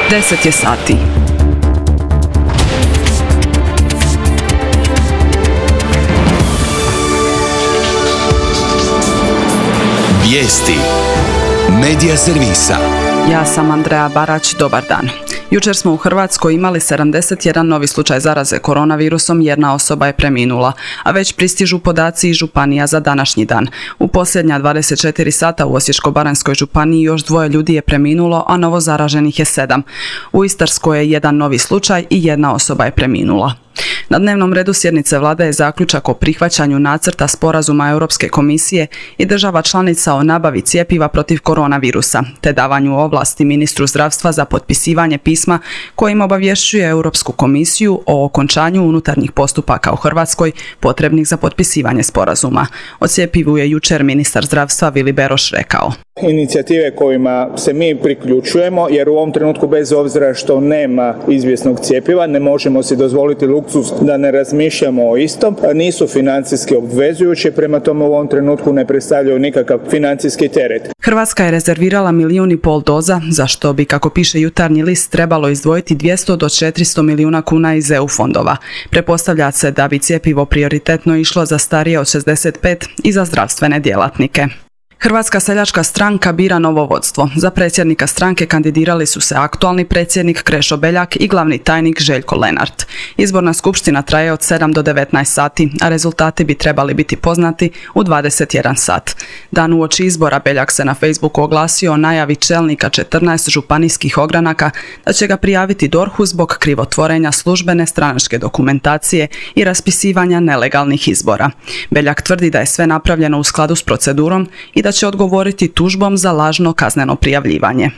10 je sati. Vijesti Medija servisa. Ja sam Andreja Barać, dobar dan. Jučer smo u Hrvatskoj imali 71 novi slučaj zaraze koronavirusom, jedna osoba je preminula, a već pristižu podaci iz županija za današnji dan. U posljednja 24 sata u Osječko-baranjskoj županiji još 2 ljudi je preminulo, a novo zaraženih je 7. U Istarskoj je jedan novi slučaj i jedna osoba je preminula. Na dnevnom redu sjednice vlade je zaključak o prihvaćanju nacrta sporazuma Europske komisije i država članica o nabavi cjepiva protiv koronavirusa, te davanju ovlasti ministru zdravstva za potpisivanje pisma kojim obavješćuje Europsku komisiju o okončanju unutarnjih postupaka u Hrvatskoj potrebnih za potpisivanje sporazuma. O cjepivu je jučer ministar zdravstva Vili Beroš rekao. Inicijative kojima se mi priključujemo, jer u ovom trenutku bez obzira što nema izvjesnog cjepiva ne možemo si dozvoliti luksuz da ne razmišljamo o istom, nisu financijski obvezujući, prema tome u ovom trenutku ne predstavljaju nikakav financijski teret. Hrvatska je rezervirala 1,5 milijuna doza, za što bi, kako piše Jutarnji list, trebalo izdvojiti 200 do 400 milijuna kuna iz EU fondova. Pretpostavlja se da bi cjepivo prioritetno išlo za starije od 65 i za zdravstvene djelatnike. Hrvatska seljačka stranka bira novo vodstvo. Za predsjednika stranke kandidirali su se aktualni predsjednik Krešo Beljak i glavni tajnik Željko Lenart. Izborna skupština traje od 7 do 19 sati, a rezultati bi trebali biti poznati u 21 sat. Dan uoči izbora Beljak se na Facebooku oglasio o najavi čelnika 14 županijskih ogranaka da će ga prijaviti DORH-u zbog krivotvorenja službene stranačke dokumentacije i raspisivanja nelegalnih izbora. Beljak tvrdi da je sve napravljeno u skladu s procedurom i da će odgovoriti tužbom za lažno kazneno prijavljivanje.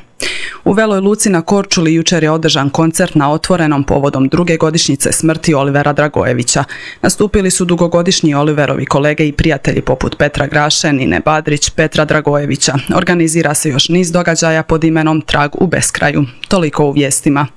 U Veloj Luci na Korčuli jučer je održan koncert na otvorenom povodom 2. godišnjice smrti Olivera Dragojevića. Nastupili su dugogodišnji Oliverovi kolege i prijatelji poput Petra Graše, Nine Badrić, Petra Dragojevića. Organizira se još niz događaja pod imenom Trag u beskraju. Toliko u vijestima.